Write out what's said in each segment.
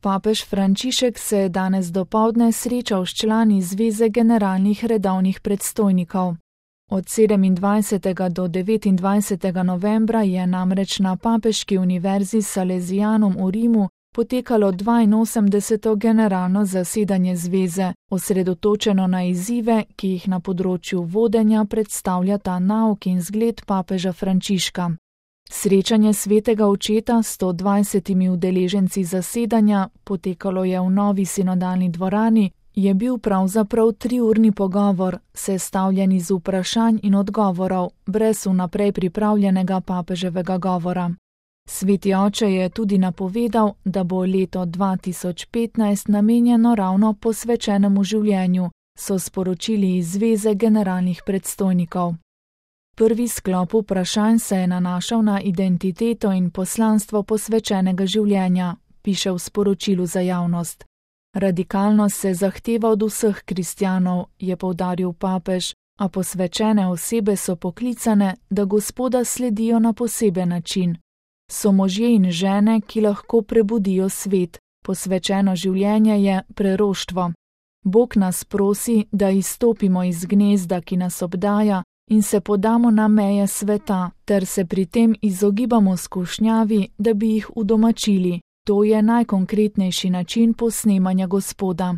Papež Frančišek se je danes dopoldne srečal s člani Zveze generalnih redovnih predstojnikov. Od 27. do 29. novembra je namreč na Papeški univerzi Salesianum v Rimu potekalo 82. generalno zasedanje zveze, osredotočeno na izzive, ki jih na področju vodenja predstavlja ta nauk in zgled papeža Frančiška. Srečanje svetega očeta s 120 udeleženci zasedanja, potekalo je v novi sinodalni dvorani, je bil pravzaprav 3-urni pogovor, sestavljen iz vprašanj in odgovorov, brez vnaprej pripravljenega papeževega govora. Sveti oče je tudi napovedal, da bo leto 2015 namenjeno ravno posvečenemu življenju, so sporočili iz Zveze generalnih predstojnikov. Prvi sklop vprašanj se je nanašal na identiteto in poslanstvo posvečenega življenja, piše v sporočilu za javnost. Radikalnost se zahteva od vseh kristjanov, je poudaril papež, a posvečene osebe so poklicane, da Gospoda sledijo na poseben način. So možje in žene, ki lahko prebudijo svet. Posvečeno življenje je preroštvo. Bog nas prosi, da izstopimo iz gnezda, ki nas obdaja, in se podamo na meje sveta, ter se pri tem izogibamo skušnjavi, da bi jih udomačili. To je najkonkretnejši način posnemanja Gospoda.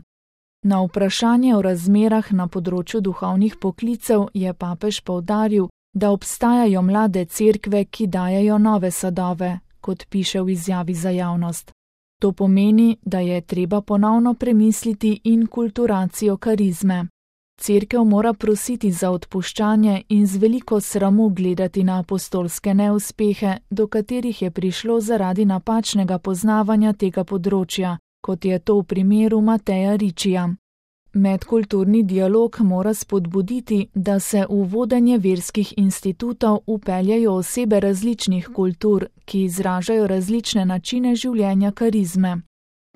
Na vprašanje o razmerah na področju duhovnih poklicev je papež poudaril, da obstajajo mlade cerkve, ki dajejo nove sadove, kot piše v izjavi za javnost. To pomeni, da je treba ponovno premisliti inkulturacijo karizme. Cerkev mora prositi za odpuščanje in z veliko sramu gledati na apostolske neuspehe, do katerih je prišlo zaradi napačnega poznavanja tega področja, kot je to v primeru Mateja Ričija. Medkulturni dialog mora spodbuditi, da se v vodenje verskih institutov vpeljajo osebe različnih kultur, ki izražajo različne načine življenja karizme.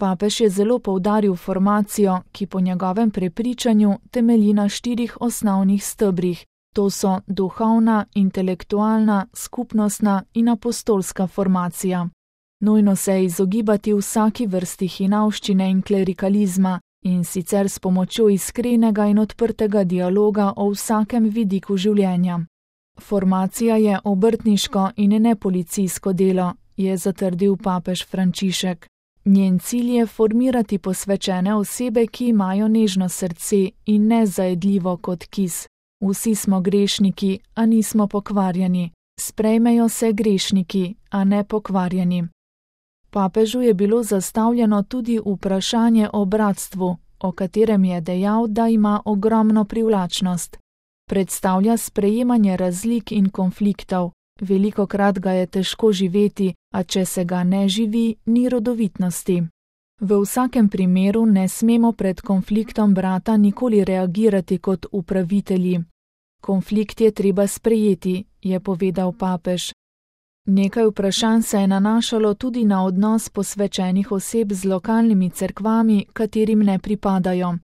Papež je zelo poudaril formacijo, ki po njegovem prepričanju temelji na 4 osnovnih stebrih. To so duhovna, intelektualna, skupnostna in apostolska formacija. Nujno se je izogibati vsaki vrsti hinavščine in klerikalizma, in sicer s pomočjo iskrenega in odprtega dialoga o vsakem vidiku življenja. Formacija je obrtniško in ne policijsko delo, je zatrdil papež Frančišek. Njen cilj je formirati posvečene osebe, ki imajo nežno srce in ne zajedljivo kot kis. Vsi smo grešniki, a nismo pokvarjeni. Sprejmejo se grešniki, a ne pokvarjeni. Papežu je bilo zastavljeno tudi vprašanje o bratstvu, o katerem je dejal, da ima ogromno privlačnost. Predstavlja sprejemanje razlik in konfliktov. Velikokrat ga je težko živeti, a če se ga ne živi, ni rodovitnosti. V vsakem primeru ne smemo pred konfliktom brata nikoli reagirati kot upravitelji. Konflikt je treba sprejeti, je povedal papež. Nekaj vprašanj se je nanašalo tudi na odnos posvečenih oseb z lokalnimi cerkvami, katerim ne pripadajo.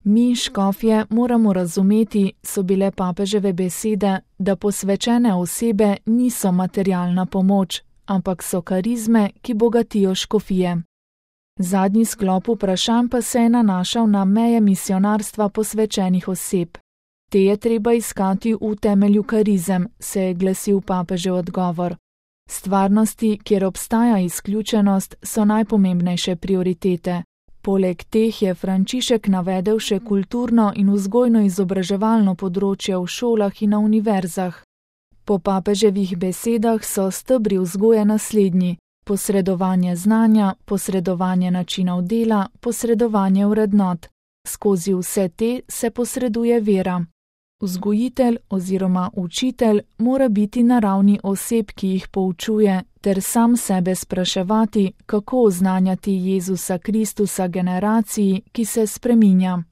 Mi, škofje, moramo razumeti, so bile papeževe besede, da posvečene osebe niso materialna pomoč, ampak so karizme, ki bogatijo škofije. Zadnji sklop vprašanj pa se je nanašal na meje misionarstva posvečenih oseb. Te je treba iskati v temelju karizem, se je glasil papežev odgovor. Stvarnosti, kjer obstaja izključenost, so najpomembnejše prioritete. Poleg teh je Frančišek navedel še kulturno in vzgojno-izobraževalno področje v šolah in na univerzah. Po papeževih besedah so stebri vzgoje naslednji: posredovanje znanja, posredovanje načinov dela, posredovanje vrednot. Skozi vse te se posreduje vera. Vzgojitelj oziroma učitelj mora biti na ravni oseb, ki jih poučuje, ter sam sebe spraševati, kako oznanjati Jezusa Kristusa generaciji, ki se spreminja.